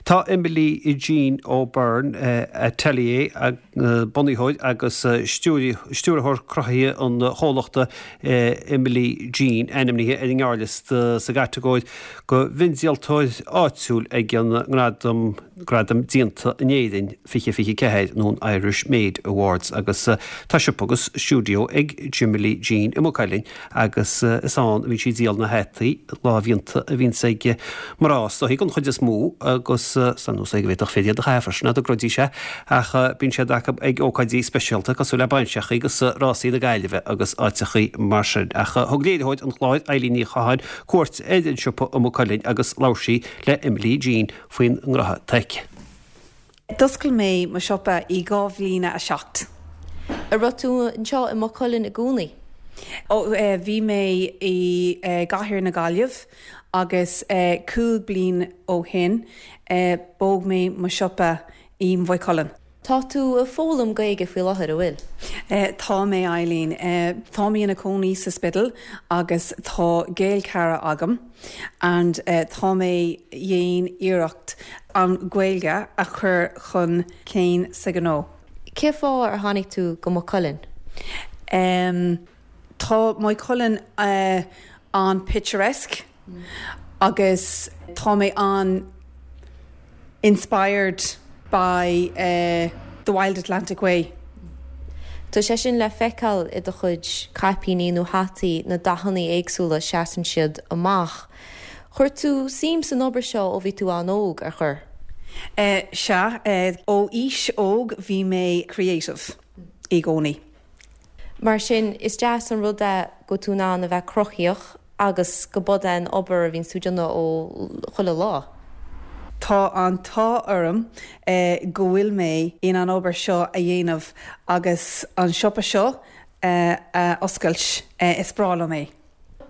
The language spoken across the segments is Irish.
Tá Emily Jean O'Byrne Atelier, bunaitheoir agus stiúrthóir cruthaithe an chomhlachta Emily Jean, ainmnithe ar an ngearrliosta sa gcatagóir do mhiondíoltóir áitiúil ag an nGradam Gradam Déanta in Éirinn 2024 nó an Irish Made Awards agus tá siopa agus stiúideo ag Emily Jean i Maigh Cuilinn agus is ann a bhíonn sí ag díol na hataí lámhdhéanta a bhíonns ag mná is dóichí den chuid is mó agus san nós é go bhféadfadh fir iad a chaitheamh freisin dá gcreidfidís é ach bíonn siad acu ag ócáidí speisialta cosúil le bainseachaí agus rásaí na Gaillimhe agus áiteachaí mar sin. Ach thug léiritheoir an chláir Eileen Ní Chatháin cuairt ar an siopa i Maigh Cuilinn agus labhair sí le Emily Jean faoin ngnótha atá aici. D'oscail mé mo siopa i 2007. An raibh tú anseo i Maigh Cuilinn i gcónaí? Ó, bhí mé i gcathair na Gaillimh agus 5 bliain ó shin bhog mé mo siopa i Maigh Cuilinn. Tá tú ag foghlaim Gaeilge faoi láthair, an bhfuil? Tá mé, Eileen. Tá mé ina cónaí sa Spidéal agus tá Gaelchara agam and tá mé dhéan iarracht an Ghaeilge a chur chun cinn sa ghnó. Cén fáth ar tháinig tú go Maigh Cuilinn? Tá Maigh Cuilinn an-picturesque agus tá mé an inspired by the Wild Atlantic Way. Tá sé sin le feiceáil i do chuid caipíní nó hataí, na dathanna éagsúla, seasann siad amach. Chuir tú suim san obair seo ó bhí tú an-óg, ar chuir? Sea, ó aois óg bhí mé creative i gcónaí. Mar sin, is deas an rud é go bhfuil tú in ann a bheith cruthaíoch agus go b'é an obair a bhíonns tú ag déanamh ó chuile lá. Tá an t-ádh orm go bhfuil mé in an obair seo a dhéanamh agus an siopa seo a oscailt. Is breá liom é.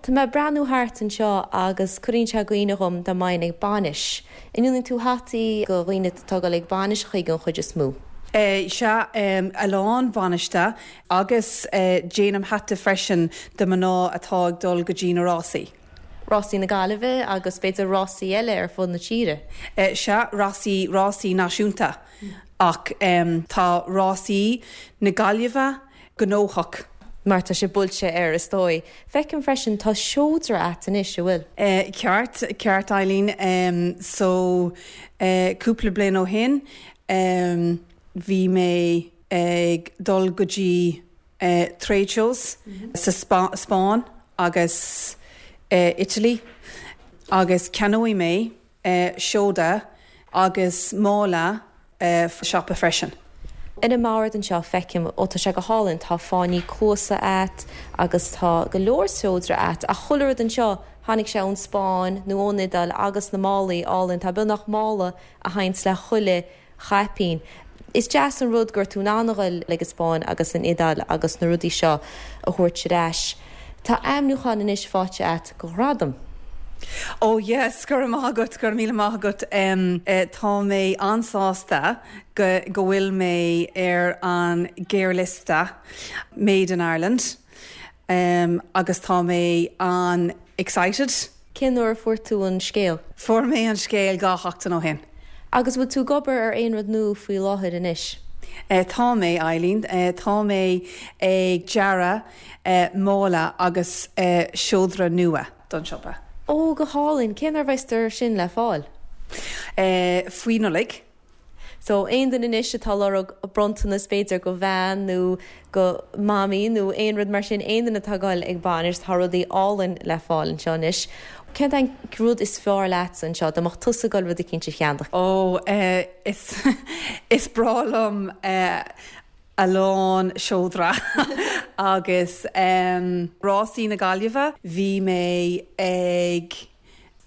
Tá mé ag breathnú thart anseo agus cuireann sé i gcuimhne dhom dá mbeinn ag bainis. An ndéanann tú hataí go dhaoine atá ag dul ag bainiseachaí den chuid is mó? Sea, a lán bainiste agus déanaim hata freisin do mná atá ag dul go dtí na rásaí. Rásaí na Gaillimhe agus b'fhéidir rásaí eile ar fud na tíre? Sea, rásaí, rásaí náisiúnta ach tá rásaí na Gaillimhe gnóthach. Mar tá sé buailte air, is dóigh. Feicim freisin, tá seodra a't anois, an bhfuil? Ceart, ceart Eileen. So, cúpla bliain ó shin, bhí mé ag dul go dtí trade shows sa Spáinn agus Italy agus ceannóidh mé seoda agus mála siopa freisin. Ar an mbord anseo feicim, ó tá sé go hálainn, tá fáinní cluasa a't agus tá go leor seodra a't ach chuile rud anseo tháinig sé ón Spáinn nó ón Iodáil agus na málaí álainn, tá beagnach mála a théanns le chuile chaipín. Is deas an rud go raibh tú in ann a ghoil ag an Spáinn agus an Iodáil agus na rudaí seo a thabhairt ar ais. Tá ainmniúchán anois faighte a't go ghradam. Oh yes, go raibh maith agat, go raibh míle maith agat. Tá mé an-sásta go go bhfuil mé ar an gearrliosta Made in Ireland agus tá mé an-excited. Cén uair a fuair tú an scéal? Fuair mé an scéal 2 sheachtain ó shin. Agus bhfuil tú ag obair ar aon rud nua faoi láthair anois? Tá mé, Eileen. Tá mé ag dearadh mála agus seodra nua don siopa. Ó, go hálainn! Cén uair a bheas sin le fáil? Faoi Nollaig. So, aon duine anois atá ag lorg bronntanas b'fhéidir go bhean nó go mamaí nó aon rud mar sin, aon duine atá ag goil ag bainis, tá rudaí álainn le fáil anseo anois. Cén t-aon rud is fearr leatsa anseo, dá mbeadh tusa ag goil rud eicínt a cheannach? Ó, is, is breá liom a lán seodra agus Rásaí na Gaillimhe, bhí mé ag.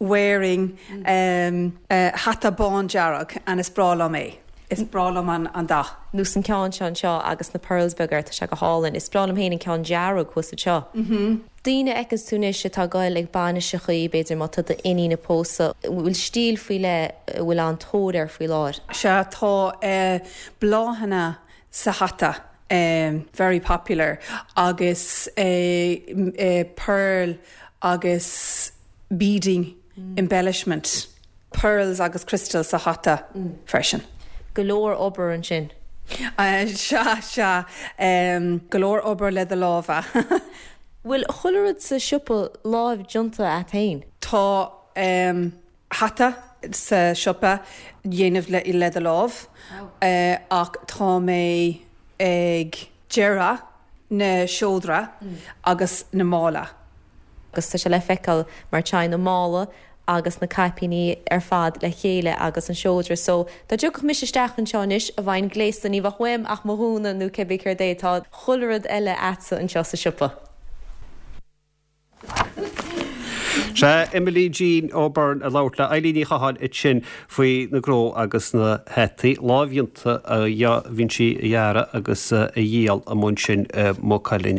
wearing hata bándearg and is breá liom é. Is breá liom an dath. Nós an ceann seo anseo agus na pearls beaga air, tá sé go hálainn. Is breá liom féin an ceann dearg thuas anseo. Daoine a fheiceanns tú anois atá ag goil ag bainiseachaí, b'fhéidir má tá d'iníon ag pósadh, an bhfuil stíl faoi leith a bhfuil an-tóir air faoi láthair? Sea, tá bláthanna sa hata, very popular, agus pearl agus beading embellishment. Pearls agus crystals sa hata freisin. Go leor obair ansin. Sea, sea. Go leor obair le do lámha. Bhfuil chuile rud sa siopa láimh déanta a't fhéin? Tá hata sa siopa dhéanamh le do lámh ach tá mé ag dearadh na seodra agus na mála. Agus tá sé le feiceáil mar téann an mála agus na caipíní ar fad le chéile agus an seodra so dá dtiocfadh mise isteach anseo anois a bheinn gléasta ní bheadh uaim ach mo ghúna nó cibé céard é tá chuile rud eile a'tsa anseo sa siopa. Sea, Emily Jean O'Byrne ag labhairt le Eilín Ní Chatháin ansin faoi na gnó agus na hataí lámhdhéanta a bhíonn sí a dhearadh agus a dhíol amuigh ansin i Maigh Cuilinn.